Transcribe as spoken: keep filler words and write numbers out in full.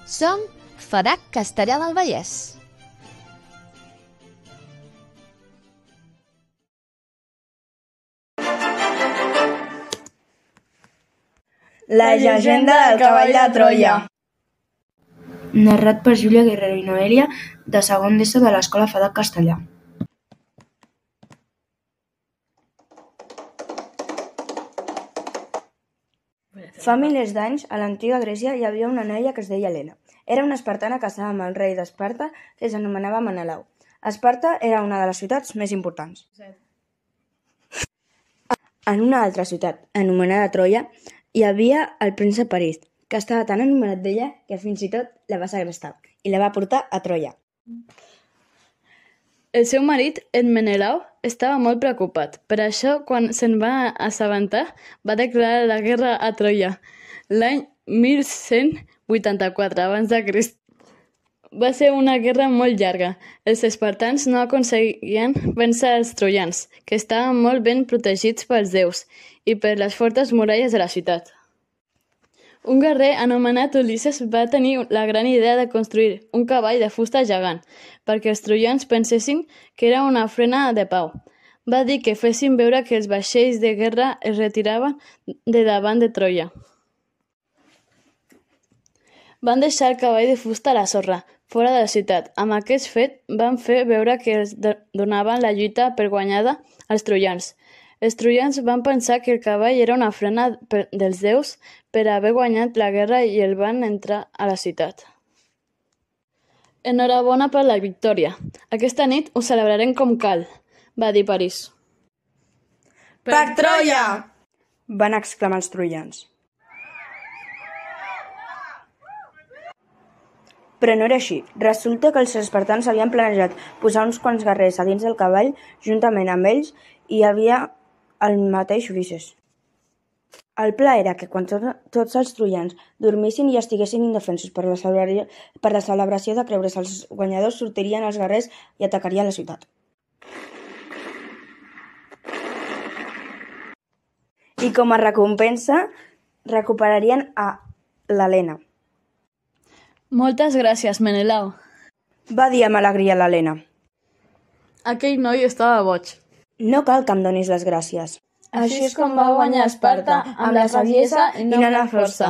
Som Farac Castellar del Vallès. La llegenda del cavall de Troia. Narrat per Júlia Guerrero i Noelia, de segon d'ESO de l'Escola Farac Castellar. Fa milers d'anys, a l'antiga Grècia, hi havia una noia que es deia Helena. Era una espartana casada amb el rei d'Esparta, que s'anomenava Menelau. Esparta era una de les ciutats més importants. En una altra ciutat, anomenada Troia, hi havia el príncep Paris, que estava tan enamorat d'ella que fins i tot la va segrestar i la va portar a Troia. El seu marit, en Menelau, estava molt preocupat. Per això, quan se'n va assabentar, va declarar la guerra a Troia l'any mil cent vuitanta-quatre abans de Crist. Va ser una guerra molt llarga. Els espartans no aconseguien vèncer els troians, que estaven molt ben protegits pels déus i per les fortes muralles de la ciutat. Un guerrer anomenat Ulisses va tenir la gran idea de construir un cavall de fusta gegant perquè els troians pensessin que era una ofrena de pau. Va dir que fessin veure que els vaixells de guerra es retiraven de davant de Troia. Van deixar el cavall de fusta a la sorra, fora de la ciutat. Amb aquest fet van fer veure que els donaven la lluita per guanyada als troians. Els troians van pensar que el cavall era una ofrena dels déus per haver guanyat la guerra i el van entrar a la ciutat. Enhorabona per la victòria. Aquesta nit ho celebrarem com cal, va dir París. Per Troia! Van exclamar els troians. Però no era així. Resulta que els espartans havien planejat posar uns quants guerrers a dins del cavall, juntament amb ells hi havia el mateix Ulisses. El pla era que quan tot, tots els troians dormissin i estiguessin indefensos per la, per la celebració de creure's els guanyadors, sortirien els guerrers i atacarien la ciutat. I com a recompensa recuperarien a l'Helena. Moltes gràcies, Menelau, va dir amb alegria l'Helena. Aquell noi estava boig. No cal que em donis les gràcies. Així és com va guanyar Esparta, amb la saviesa i no amb la força.